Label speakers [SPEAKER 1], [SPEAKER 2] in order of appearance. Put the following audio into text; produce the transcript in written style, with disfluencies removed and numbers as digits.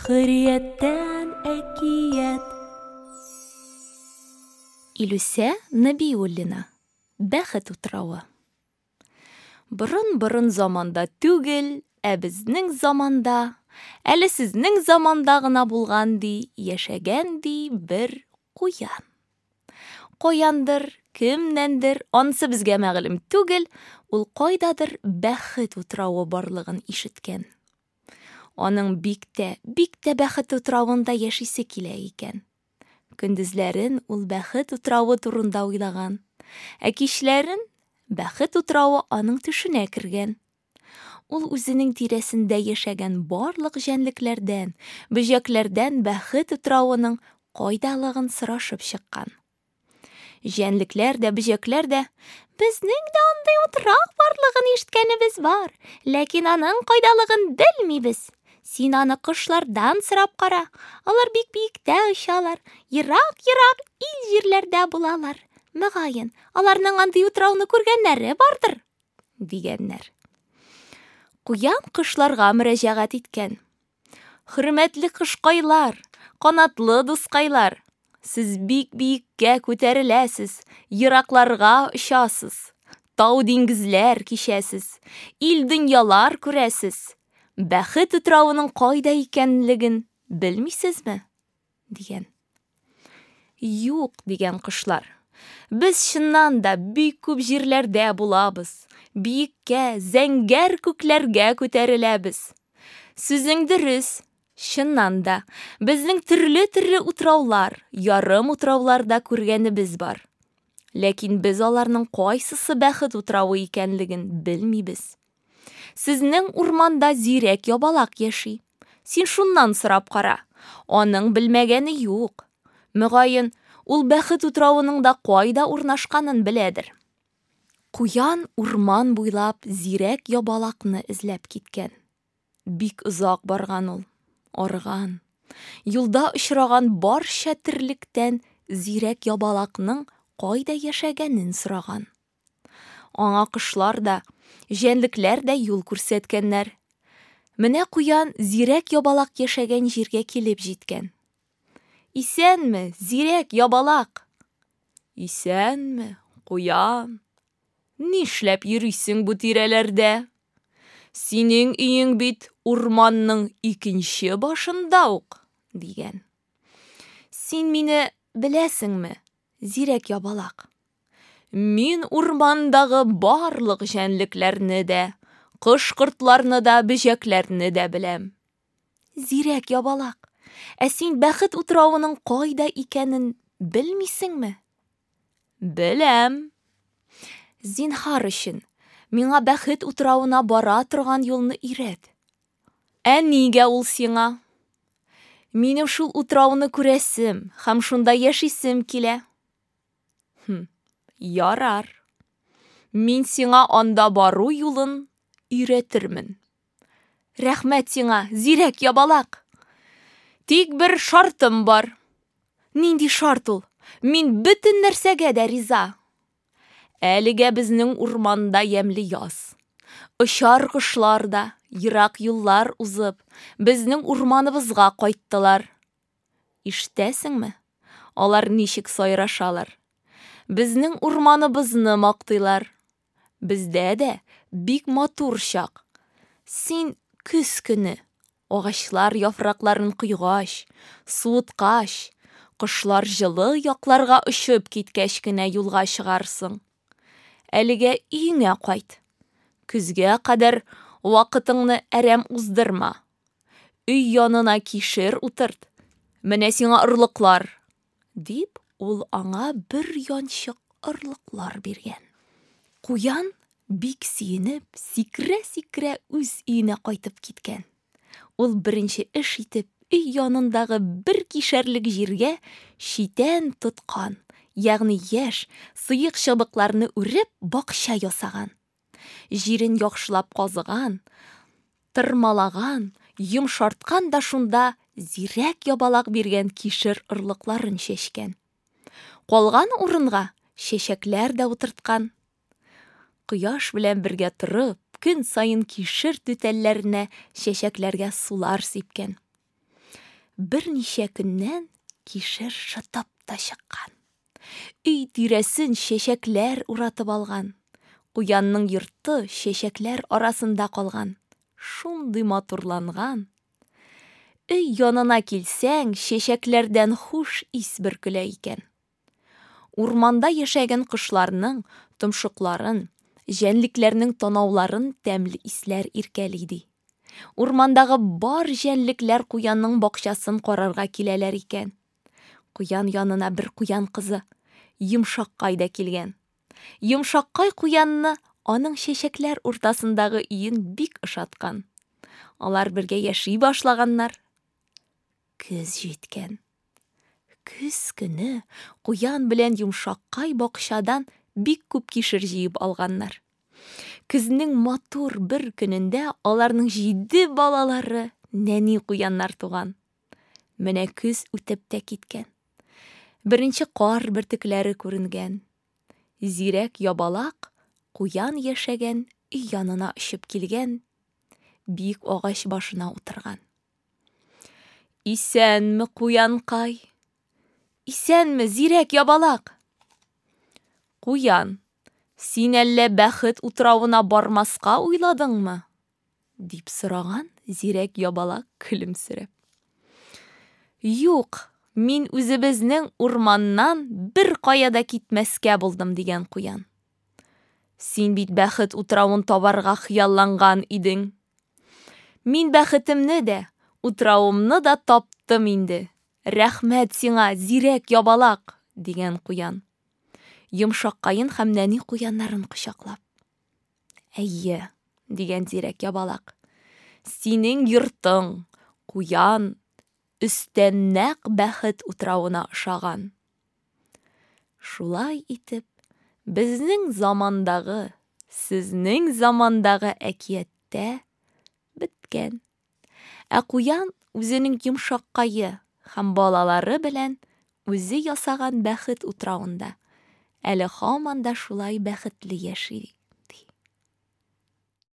[SPEAKER 1] Хөррияттән әкият.
[SPEAKER 2] Илүсә Нәбиуллина. Бәхет утравы. Борын-борын заманда түгел, ә безнең заманда, әле сезнең заманда гына булган ди, яшәгән ди бер куян. Каяндыр, кемнәндер, анысы безгә мәгълүм түгел, ул кайдадыр бәхет утравы барлыгын ишеткән. Аның бик тә, бик тә бәхет утравында яшисе килә икән. Көндезләрен ул бәхет утравы турында уйлаган, ә кичләрен бәхет утравы аның төшенә кергән. Ул үзенең тирәсендә яшәгән барлык җәнлекләрдән, бөҗәкләрдән бәхет утравының кайдалыгын сорашып чыккан. Җәнлекләр дә, бөҗәкләр дә безнең дә андый утрау барлыгын ишеткәнебез бар, ләкин аның кайдалыгын белмибез. Син аны кошлардан сорап кара. Алар бик биектә очалар, ерак-ерак ил җирләрдә булалар. Мөгаен, аларның андый утрауны күргәннәре бардыр, дигәннәр. Куян кошларга мөрәҗәгать иткән. Хөрмәтле кошкайлар, канатлы дускайлар, сез бик биеккә күтәреләсез, еракларга очасыз, тау диңгезләр кичәсез, ил дөньялар күрәсез. Бәхет утравының кайда икәнлеген белмисезме? Дигән. Юк, дигән кошлар. Без чыннан да бик күп җирләрдә булабыз. Биеккә, зәңгәр күкләргә күтәреләбез. Сүзең дөрес. Чыннан да, безнең төрле-төрле утраулар, ярым утраулар да күргәнебез бар. Ләкин без аларның кайсысы бәхет утравы икәнлеген белмибез. Сезнең урманда зирәк ябалак яши. Син шуннан сорап кара. Аның белмәгәне юк. Мөгаен, ул бәхет утравының да кайда урнашканын беләдер. Куян урман буйлап зирәк ябалакны эзләп киткән. Бик озак барган ул, арыган. Юлда очраган барча терлектән зирәк ябалакның кайда яшәгәнен сораган. Аңа кошлар да, җәнлекләр дә юл күрсәткәннәр. Менә куян зирәк ябалак яшәгән җиргә килеп җиткән. Исәнме, зирәк ябалак? Исәнме, куян? Нишләп йөрисең бу тирәләрдә? Синең өең бит урманның икенче башында ук, дигән. Син мине беләсеңме, зирәк ябалак? Мин урмандагы барлык җәнлекләрне дә, кош-кортларны да, бөҗәкләрне дә беләм. Зирәк ябалак, ә син бәхет утравының кайда икәнен белмисеңме? Беләм. Зинһар өчен, миңа бәхет утравына бара торган юлны өйрәт. Ә нигә ул сиңа? Минем шул утрауны күрәсем һәм шунда яшисем килә. Хм, ярар. Мин сиңа анда бару юлын өйрәтермен. Рәхмәт сиңа, зирәк ябалак. Тик бер шартым бар. Нинди шарт ул? Мин бөтен нәрсәгә дә риза. Әлегә безнең урманда ямьле яз. Очар кошлар да, ерак юллар узып, безнең урманыбызга кайттылар. Ишетәсеңме? Алар ничек сайрашалар. Безнең урманыбызны мактыйлар. Бездә дә бик матур чак. Син көз көне, агачлар яфракларын койгач, суыткач, кошлар җылы якларга очып киткәч кенә юлга чыгарсың. Әлегә өеңә кайт. Көзгә кадәр вакытыңны әрәм уздырма. Өй янына кишер утырт. Менә сиңа орлыклар, дип, ул аңа бер янчык орлыклар биргән. Куян бик сөенеп, сикерә-сикерә үз өенә кайтып киткән. Ул беренче эш итеп өй янындагы бер кишәрлек җиргә читән тоткан, ягъни яшь, сыек чыбыкларны үреп бакча ясаган. Җирен яхшылап казыган, тырмалаган, йомшарткан да шунда зирәк ябалак биргән кишер орлыкларын чәчкән. Калган урынга чәчәкләр дә утырткан. Кояш белән бергә торып, көн саен кишер түтәлләренә, чәчәкләргә сулар сипкән. Берничә көннән кишер шытып та чыккан. Өй тирәсен чәчәкләр уратып алган. Куянның йорты чәчәкләр арасында калган. Шундый матурланган. Өй янына килсәң, чәчәкләрдән хуш ис бөркелә икән. Урманда яшәгән кошларның томшыкларын, җәнлекләрнең танауларын тәмле исләр иркәли ди. Урмандагы бар җәнлекләр куянның бакчасын карарга киләләр икән. Куян янына бер куян кызы, Йомшаккай да килгән. Йомшаккай куянны аның чәчәкләр уртасындагы өен бик ошаткан. Алар бергә яши башлаганнар. Көз җиткән. Көз көне куян белән Йомшаккай бакчадан бик күп кишер җыеп алганнар. Көзнең матур бер көнендә аларның җиде балалары нәни куяннар туган. Менә көз үтеп тә киткән. Беренче кар бөртекләре күренгән. Зирәк ябалак куян яшәгән өй янына очып килгән, биек агач башына утырган. Исәнме, куянкай! Исәнме, зирәк ябалак! Куян, син әллә бәхет утравына бармаска уйладыңмы? дип сораган зирәк ябалак көлемсерәп. Юк, мин үзебезнең урманнан бер кая да китмәскә булдым, дигән куян. Син бит бәхет утравын табарга хыялланган идең. Мин бәхетемне дә, утравымны да таптым инде. Рәхмәт сиңа, зирәк ябалак, дигән куян. Йомшаккаен һәм нәни куяннарын кочаклап. Әйе, дигән зирәк ябалак. Синең йортың, куян, өстән нәкъ бәхет утравына ошаган. Шулай итеп, безнең замандагы, сезнең замандагы әкияттә беткән. Ә куян үзенең йомшаккае һәм балалары белән үзе ясаган бәхет утравында әле һаман да шулай бәхетле яши.